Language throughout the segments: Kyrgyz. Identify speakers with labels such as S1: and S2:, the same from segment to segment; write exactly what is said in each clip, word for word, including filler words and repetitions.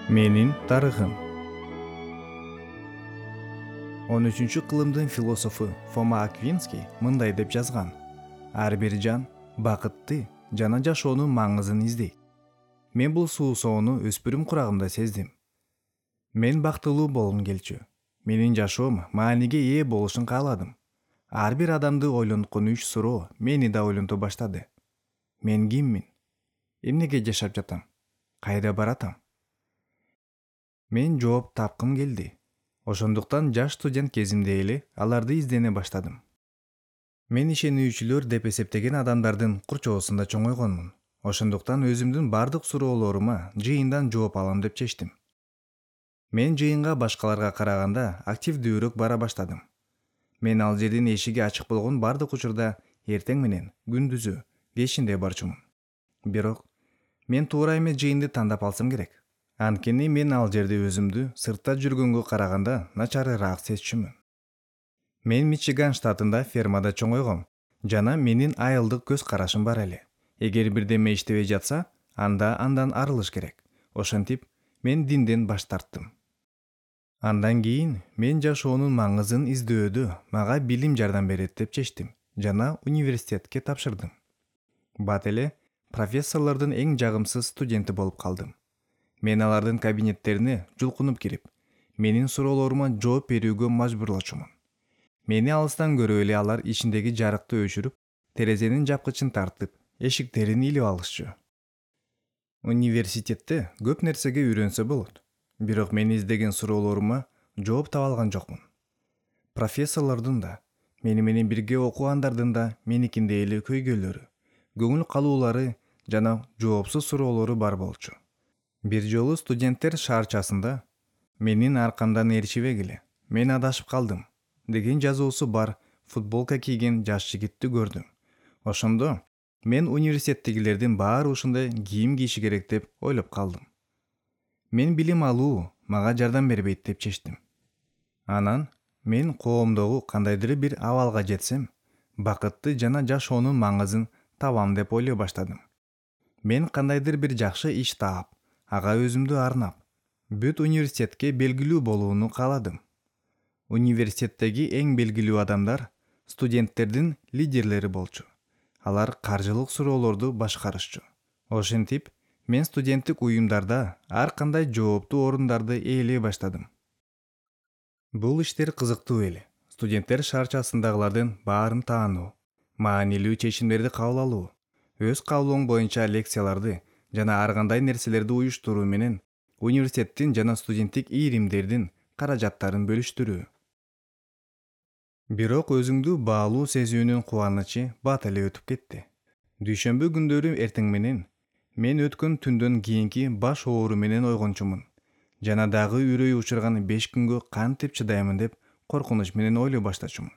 S1: Менин тарыхым. он үчүнчү кылымдын философу Фома Аквинский мындай деп жазган: ар бир жан бакытты жана жашоонун маңызын издейт. Мен бул суусоону өспүрүм курагымда сездим. Мен бактылуу болгум келчү. Менин жашоом мааниге ээ болушун кааладым. Ар бир адамды ойлонткон үч суроо мени да ойлонто баштады. Мен киммин? Эмнеге жашап жатам? Кайда баратам? Мен жооп тапкым келди. Ошондуктан жаш студент кезимде эле аларды издене баштадым. Мен ишенүүчүлөр деп эсептеген адамдардын курчоосунда чоңойгонмун. Ошондуктан өзүмдүн бардык суроолорума жыйындан жооп алам деп чечтим. Мен жыйынга башкаларга караганда активдүүрөөк бара баштадым. Мен ал жердин эшиги ачык болгон бардык учурда эртең менен, күндүзү, кечинде барчумун. Бирок мен туура эмес жыйынды тандап алсам керек. Анткени мен ал жерде өзүмдү сыртта жүргөнгө караганда начарыраак сезчүмүн. Мен Мичиган штатында фермада чоңойгом жана менин айылдык көз карашым бар эле. Эгер бирдеме иштебей жатса, анда андан арылыш керек. Ошентип, мен динден баш тарттым. Андан кийин мен жашоонун маңызын издөөгө мага билим жардам берет деп чечтим жана университетке тапшырдым. Бат эле профессорлордун эң жагымсыз студенти болуп калдым. Мен алардын кабинеттерине жулкунуп кирип, менин суроолорума жооп берүүгө мажбурлочумун. Мени алыстан көрүп эле алар ичиндеги жарыкты өчүрүп, терезенин жапкычын тартып, эшиктерин илип алышчу. Университетте көп нерсеге үйрөнсө болот, бирок мен издеген суроолорума жооп таба алган жокмун. Профессорлордун да, мени менен бирге окугандардын да меникиндей эле көйгөйлөрү, көңүл калуулары жана жоопсуз суроолору бар болчу. Бир жолу студенттер шаарчасында менин аркамдан ээрчибегиле, мен адашып калдым деген жазуусу бар футболка кийген жаш жигитти көрдүм. Ошондо мен университеттегилердин баары ушундай кийим кийиши керек деп ойлоп калдым. Мен билим алуу мага жардам бербейт деп чечтим. Анан мен коомдогу кандайдыр бир абалга жетсем, бакытты жана жашоонун маңызын табам деп ойлой баштадым. Мен кандайдыр бир жакшы иш таап, ага өзүмдү арнап, бүт университетке белгилүү болууну кааладым. Университеттеги эң белгилүү адамдар студенттердин лидерлери болчу. Алар каржылык суроолорду башкарышчу. Ошентип, мен студенттик уюмдарда ар кандай жооптуу орундарды ээлей баштадым. Бул иштер кызыктуу эле. Студенттер шаарчасындагылардын баарын таануу, маанилүү чечимдерди кабыл алуу, өз каалооң боюнча лекцияларды жана ар кандай нерселерди уюштуруу менен университеттин жана студенттик ийримдердин каражаттарын бөлүштүрүү. Бирок өзүңдү баалуу сезүүнүн кубанычы бат эле өтүп кетти. Дүйшөмбү күндөрү эртең менен мен өткөн түндөн кийинки баш оору менен ойгончумун жана дагы үрөй учурган беш күнгө кантип чыдаймын деп коркунуч менен ойлой баштачумун.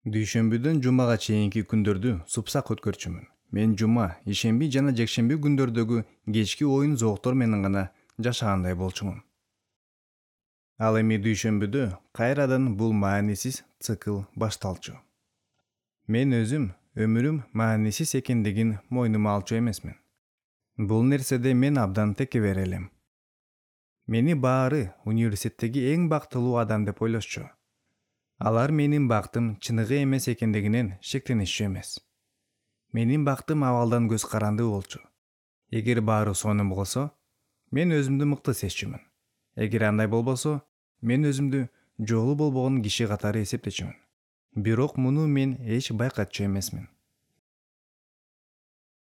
S1: Дүйшөмбүдөн жумага чейинки күндөрдү супсак өткөрчүмүн. Мен жума, ишемби жана жекшемби күндөрдөгү кечки оюн зооктор менен гана жашагандай болчумун. Ал эми дүйшөмбүдө кайрадан бул маанисиз цикл башталчу. Мен өзүм өмүрүм маанисиз экендигин мойнума алчу эмесмин. Бул нерседе мен абдан текебер элем. Мени баары университеттеги эң бактылуу адам деп ойлошчу. Алар менин бактым чыныгы эмес экендигинен шектенишчү эмес. Менин бактым абалдан көз карандуу болчу. Эгер баары сонун болсо, мен өзүмдү мыкты сезчүмүн. Эгер андай болбосо, мен өзүмдү жолу болбогон киши катары эсептечүмүн. Бирок муну мен эч байкатчу эмесмин.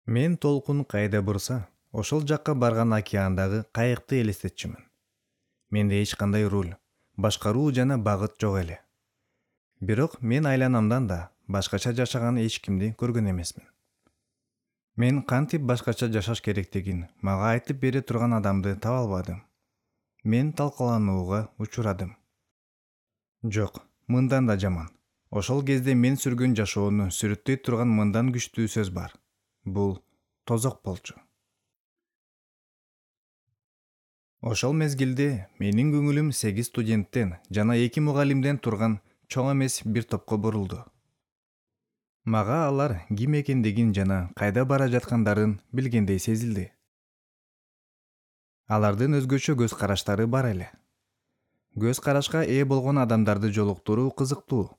S1: Мен толкун кайда бурса, ошол жакка барган океандагы кайыкты элестетчүмүн. Менде эч кандай руль, башкаруу жана багыт жок эле. Бирок мен айланамдан да башкача жашаган эч кимди көргөн эмесмин. Мен кантип башкача жашаш керектигин мага айтып бере турган адамды таба албадым. Мен талкаланууга учурадым. Жок, мындан да жаман. Ошол кезде мен сүргөн жашоону сүрөттөй турган мындан күчтүү сөз бар. Бул тозок болчу. Ошол мезгилде менин көңүлүм сегиз студенттен жана эки мугалимден турган чоң эмес бир топко бурулду. Мага алар ким экендигин жана кайда бара жаткандарын билгендей сезилди. Алардын өзгөчө көз караштары бар эле. Көз карашка ээ болгон адамдарды жолуктуруу кызыктуу.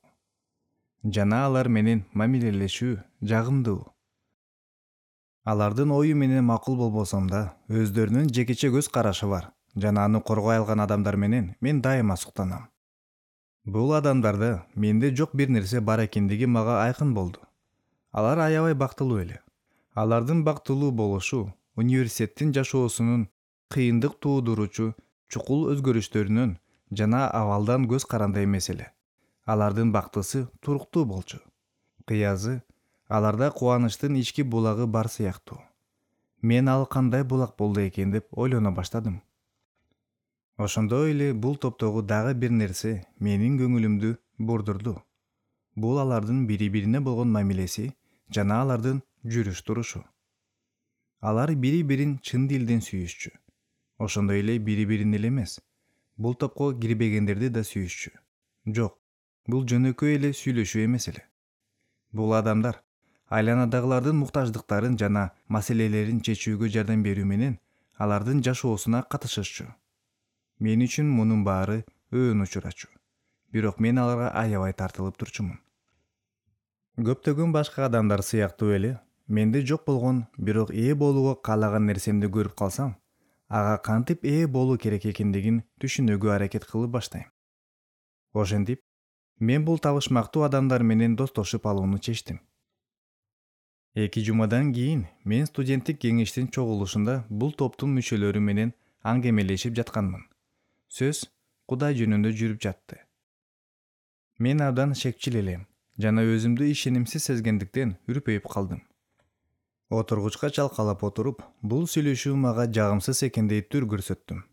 S1: Жана алар менен мамилелешүү жагымдуу. Алардын ою менен макул болбосом да, өздөрүнүн жекече көз карашы бар жана аны коргой алган адамдар менен мен дайыма суктанам. Бул адамдарда менде жок бир нерсе бар экендиги мага айкын болду. Алар аябай бактылуу эле. Алардын бактылуу болушу университеттин жашоосунун кыйындык туудуруучу чукул өзгөрүштөрүнөн жана абалдан көз каранды эмес эле. Алардын бактысы туруктуу болчу. Кыязы, аларда кубанычтын ички булагы бар сыяктуу. Мен ал кандай булак болду экен деп ойлоно баштадым. Ошондой эле бул топтогу дагы бир нерсе менин көңүлүмдү бурдурду. Бул алардын бири-бирине болгон мамилеси жана алардын жүрүш турушу. Алар бири-бирин чын дилден сүйүшчү. Ошондой эле бири-бирин эле эмес, бул топко кирбегендерди да сүйүшчү. Жок, бул жөнөкөй эле сүйлөшүү эмес эле. Бул адамдар айланадагылардын муктаждыктарын жана маселелерин чечүүгө жардам берүү менен алардын жашоосуна катышышчу. Мен үчүн мунун баары өөн учурачу. Бирок мен аларга аябай тартылып турчумун. Көптөгөн башка адамдар сыяктуу эле, менде жок болгон, бирок ээ болууга каалаган нерсемди көрүп калсам, ага кантип ээ болуу керек экендигин түшүнүүгө аракет кылып баштайм. Ошентип, мен бул табышмактуу адамдар менен достошуп алууну чечтим. Эки жумадан кийин мен студенттик кеңештин чогулушунда бул топтун мүчөлөрү менен аңгемелешип жатканмын. Сөз Кудай жөнүндө жүрүп жатты. Мен абдан шекчил элем жана өзүмдү ишенимсиз сезгендиктен үрпөйүп калдым. Отургучка чалкалап отуруп, бул сүйлөшүү мага жагымсыз экендей түр көрсөттүм.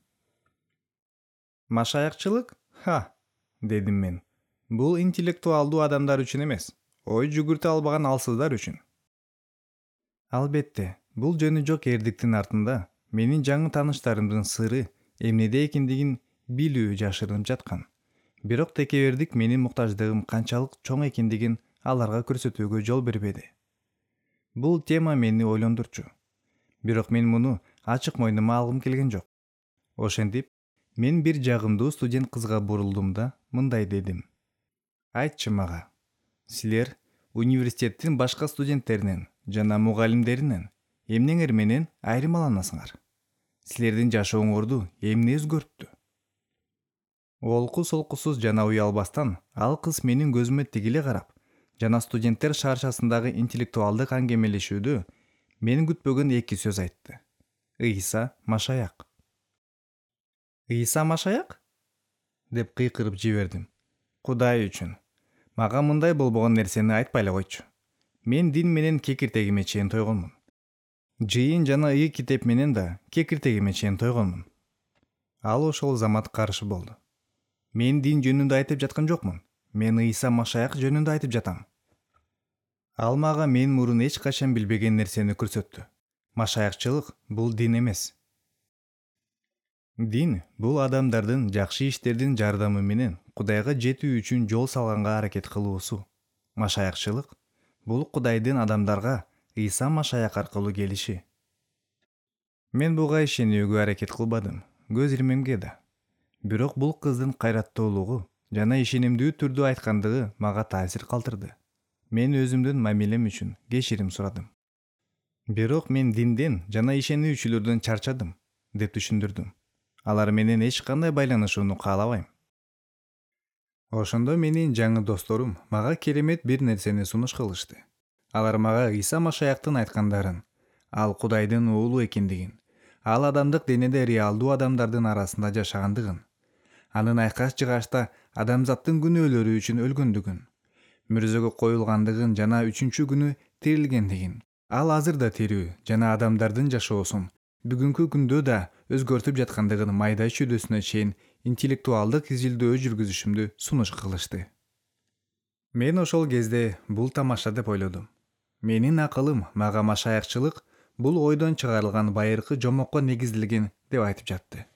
S1: Машаякчылык? Ха, дедим мен. Бул интеллектуалдуу адамдар үчүн эмес, ой жүгүртө албаган алсыздар үчүн. Албетте, бул жөнү жок эрдиктин артында менин жаңы тааныштарымдын сыры эмнеде экендигин билүү жашырынып жаткан. Бирок текебердик менин муктаждыгым канчалык чоң экендигин аларга көрсөтүүгө жол бербеди. Бул тема мени ойлондурчу. Бирок мен муну ачык мойнума алгым келген жок. Ошентип, мен бир жагымдуу студент кызга бурулдум да мындай дедим. Айтчы мага, силер университеттин башка студенттеринен жана мугалимдеринен эмнеңер менен айырмаланасыңар? Силердин жашооңорду эмне өзгөрттү? Олку-солкусуз жана уялбастан ал кыз менин көзүмө тигиле карап, жана студенттер шаарчасындагы интеллектуалдык аңгемелешүүдө мен күтпөгөн эки сөз айтты. Ыйса Машаяк. Ыйса Машаяк? Деп кыйкырып жибердим. Кудай үчүн, мага мындай болбогон нерсени айтпай эле койчу. Мен дин менен кекиртегиме чейин тойгонмун. Жыйын жана ыйык китеп менен да кекиртегиме чейин тойгонмун. Ал ошол замат каршы болду. Мен дин жөнүндө айтып жаткан жокмун. Мен Ыйса Машаяк жөнүндө айтып жатам. Ал мага мен мурун эч качан билбеген нерсени көрсөттү. Машаякчылык бул дин эмес. Дин бул адамдардын жакшы иштердин жардамы менен Кудайга жетүү үчүн жол салганга аракет кылуусу. Машаякчылык бул Кудайдын адамдарга Ыйса Машаяк аркылуу келиши. Мен буга ишенүүгө аракет кылбадым, көз ирмемге да. Бирок бул кыздын кайраттуулугу жана ишенимдүү түрдө айткандыгы мага таасир калтырды. Мен өзүмдүн мамилем үчүн кечирим сурадым. Бирок мен динден жана ишенүүчүлөрдөн чарчадым, деп түшүндүрдүм. Алар менен эч кандай байланышууну каалабайм. Ошондо менин жаңы досторум мага керемет бир нерсени сунуш кылышты. Алар мага Ыйса Машаяктын айткандарын, ал Кудайдын уулу экендигин, ал адамдык денеде реалдуу адамдардын арасында жашагандыгын, анын айкаш жыгачта адамзаттын күнөөлөрү үчүн өлгөндүгүн, мүрзөгө коюлгандыгын жана үчүнчү күнү тирилгендигин, ал азыр да тирүү жана адамдардын жашоосун бүгүнкү күндө да өзгөртүп жаткандыгын майда чүйдөсүнө чейин интеллектуалдык изилдөө жүргүзүшүмдү сунуш кылышты. Мен ошол кезде бул тамаша деп ойлодум. Менин акылым мага машаякчылык бул ойдон чыгарылган байыркы жомокко негизделген деп айтып жатты.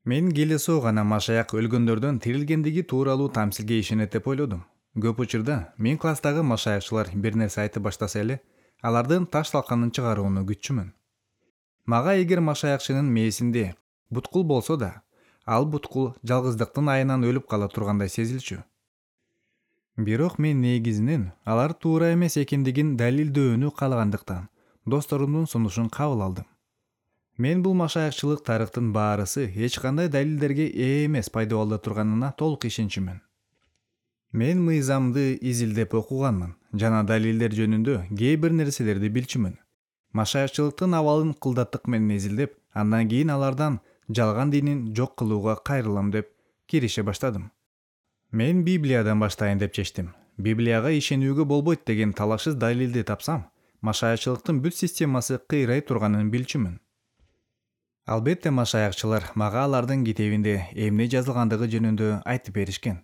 S1: Мен келесоо гана Машаяк өлгөндөрдөн тирилгендиги тууралуу тамсилге ишенет деп ойлодум. Көп учурда мен класстагы машаякчылар бир нерсе айтып баштаса эле, алардын таш талканын чыгарууну күтчүмүн. Мага эгер машаякчынын мээсинде Буткул болсо да, ал буткул жалгыздыктын айынан өлүп кала тургандай сезилчү. Бирок мен негизинен алар туура эмес экендигин далилдөөнү каалагандыктан досторумдун сунушун кабыл алдым. Мен бул машаякчылык тарыхтын баарысы эч кандай далилдерге ээ эмес пайдабалда турганына толук ишенчүмүн. Мен мыйзамды изилдеп окуганмын жана далилдер жөнүндө кээ бир нерселерди билчүмүн. Машаякчылыктын абалын кылдаттык менен изилдеп, андан кийин алардан жалган динин жок кылууга кайрылам деп кирише баштадым. Мен Библиядан баштайын деп чечтим. Библияга ишенүүгө болбойт деген талашсыз далилди тапсам, машаякчылыктын бүт системасы кыйрай турганын билчүмүн. Албетте машаякчылар мага алардын китебинде эмне жазылгандыгы жөнүндө айтып беришкен.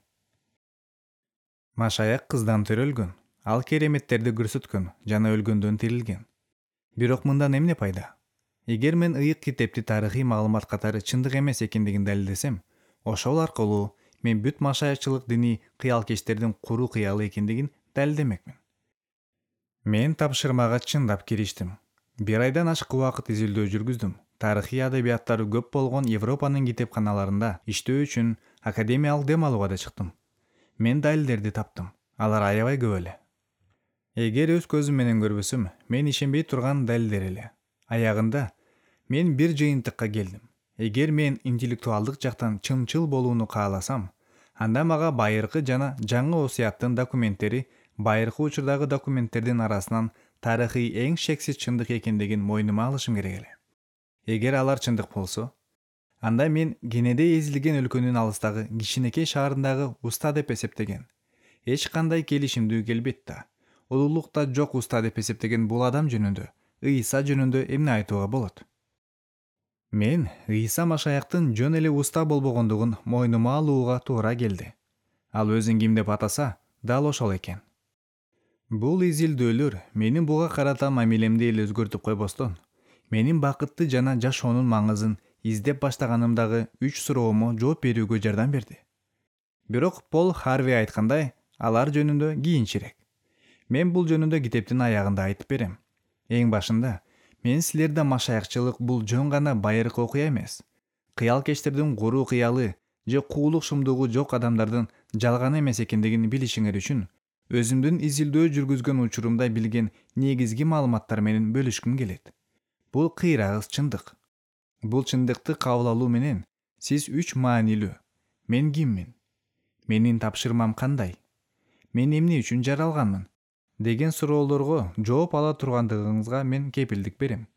S1: Машаяк кыздан төрөлгөн, ал кереметтерди көрсөткөн жана өлгөндөн тирилген. Бирок мындан эмне пайда? Эгер мен ыйык китепти тарыхый маалымат катары чындык эмес экендигин далилдесем, ошол аркылуу мен бүт машаякчылык дини кыялкечтердин куру кыялы экендигин далилдемекмин. Мен тапшырмага чындап кириштим. Бир айдан ашык убакыт изилдөө жүргүздүм. Тарыхый адабияттары көп болгон Европанын китепканаларында иштөө үчүн академиялык дем алууга да чыктым. Мен далилдерди таптым. Алар аябай көп эле. Эгер өз көзүм менен көрбөсөм, мен ишенбей турган далилдер эле. Аягында мен бир жыйынтыкка келдим. Эгер мен интеллектуалдык жактан чынчыл болууну кааласам, анда мага байыркы жана жаңы осуяттын документтери байыркы учурдагы документтердин арасынан тарыхый эң шексиз чындык экендигин мойнума алышым керек эле. Эгер алар чындык болсо, анда мен кенеде эзилген өлкөнүн алыстагы кичинекей шаарындагы уста деп эсептеген, эч кандай келишимдүү келбейт да, улуулукта жок уста деп эсептеген бул адам жөнүндө, Ыйса жөнүндө эмне айтууга болот? Мен Ыйса машаяктын жөн эле уста болбогондугун мойнума алууга туура келди. Ал өзүн ким деп атаса, дал ошол экен. Бул изилдөөлөр менин буга карата мамилемди эле өзгөртүп койбостон, менин бакытты жана жашоонун маңызын издеп баштаганымдагы үч суроомо жооп берүүгө жардам берди. Бирок Пол Харви айткандай, алар жөнүндө кийинчерээк. Мен бул жөнүндө китептин аягында айтып берем. Эң башында, мен силерде машаякчылык бул жөн гана байыркы окуя эмес, кыялкечтердин куру кыялы же куулук шумдугу жок адамдардын жалган эмес экендигин билишиңер үчүн өзүмдүн изилдөө жүргүзгөн учурумда билген негизги маалыматтар менен бөлүшкүм келет. Бул кыйрагыз чындык. Бул чындыкты кабыл алуу менен сиз үч маанилүү: мен киммин? Менин тапшырмам кандай? Мен эмне үчүн жаралганмын? Деген суроолорго жооп ала тургандыгыңызга мен кепилдик берем.